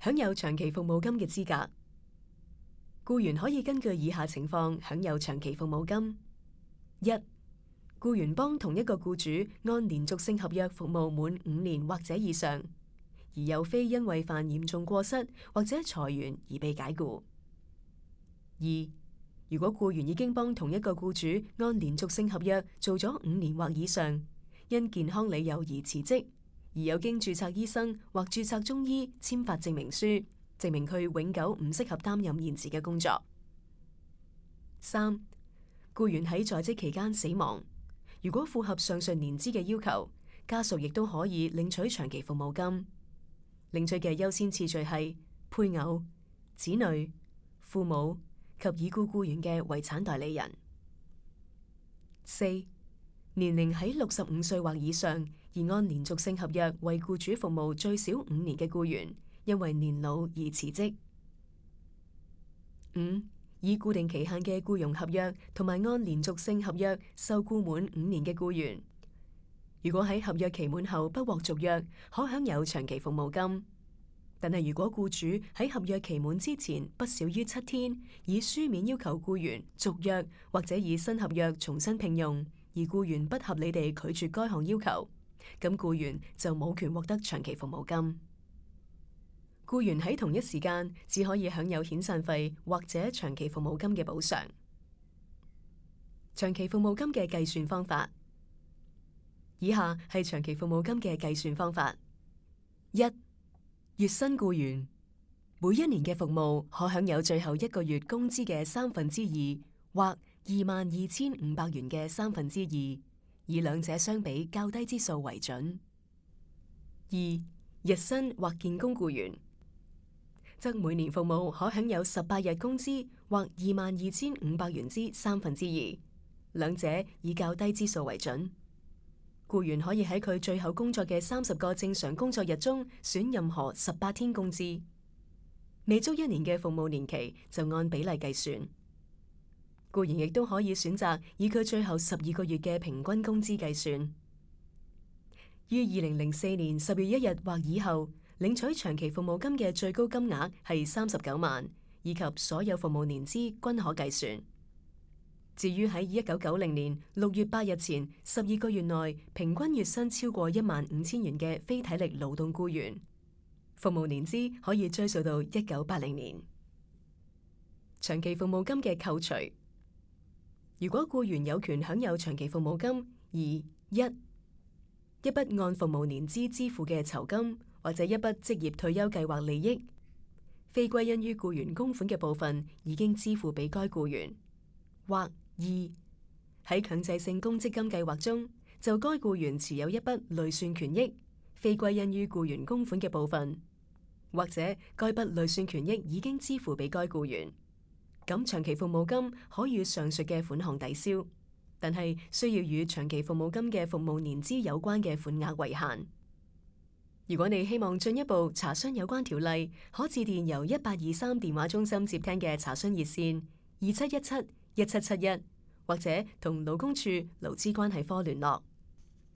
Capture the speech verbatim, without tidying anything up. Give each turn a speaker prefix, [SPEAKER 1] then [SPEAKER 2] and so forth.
[SPEAKER 1] 享有長期服務金嘅資格。僱員可以根據以下情況享有長期服務金：一、僱員幫同一個僱主按連續性合約服務滿五年或者以上，而又非因為犯嚴重過失或者裁員而被解僱。二、如果僱員已經幫同一個僱主按連續性合約做咗五年或以上，因健康理由而辭職，而有經註冊醫生或註冊中醫簽發證明書，證明佢永久唔適合擔任現時嘅工作。三、僱員喺在職期間死亡，如果符合上述年資嘅要求，家屬亦都可以領取長期服務金。領取嘅優先次序係配偶、子女、父母及已故僱員嘅遺產代理人。四、年齡喺六十五歲或以上，而按連續性合約為僱主服務最少五年嘅僱員，因為年老而辭職。五、以固定期限嘅僱傭合約同埋按連續性合約受僱滿五年嘅僱員，如果喺合約期滿後不獲續約，可享有長期服務金。但係如果僱主喺合約期滿之前不少於七天，以書面要求僱員續約或者以新合約重新聘用，而僱員不合理地拒絕該項要求，咁僱員就冇權獲得長期服務金。僱員喺同一時間只可以享有遣散費或者長期服務金嘅補償。長期服務金嘅計算方法，以下係長期服務金嘅計算方法：一、月薪僱員每一年嘅服務可享有最後一個月工資嘅三分之二，或二萬二千五百元嘅三分之二，以兩者相比較低之數為準。二、日薪或建工僱員則每年服務可享有十八日工資，或二萬二千五百元之三分之二，兩者以較低之數為準。僱員可以喺佢最後工作嘅三十個正常工作日中選任何十八天工資，未足一年嘅服務年期就按比例計算。僱員亦都可以選擇以佢最後十二個月嘅平均工資計算。於二零零四年十月一日或以後領取長期服務金嘅最高金額係三十九萬，以及所有服務年資均可計算。至於喺一九九零年六月八日前十二個月內平均月薪超過一萬五千元嘅非體力勞動僱員，服務年資可以追溯到一九八零年。長期服務金嘅扣除，如果僱員有權享有長期服務金，而一一筆按服務年資支付嘅酬金，或者一筆職業退休計劃利益，非歸因於僱員供款嘅部分已經支付俾該僱員，或二喺強制性公積金計劃中，就該僱員持有一筆累算權益，非歸因於僱員供款嘅部分，或者該筆累算權益已經支付俾該僱員，咁長期服務金可與上述嘅款項抵消，但係需要與長期服務金嘅服務年資有關嘅款額為限。如果你希望進一步查詢有關條例，可致電由一八二三電話中心接聽嘅查詢熱線二七一七一七七一，或者同勞工處勞資關係科聯絡。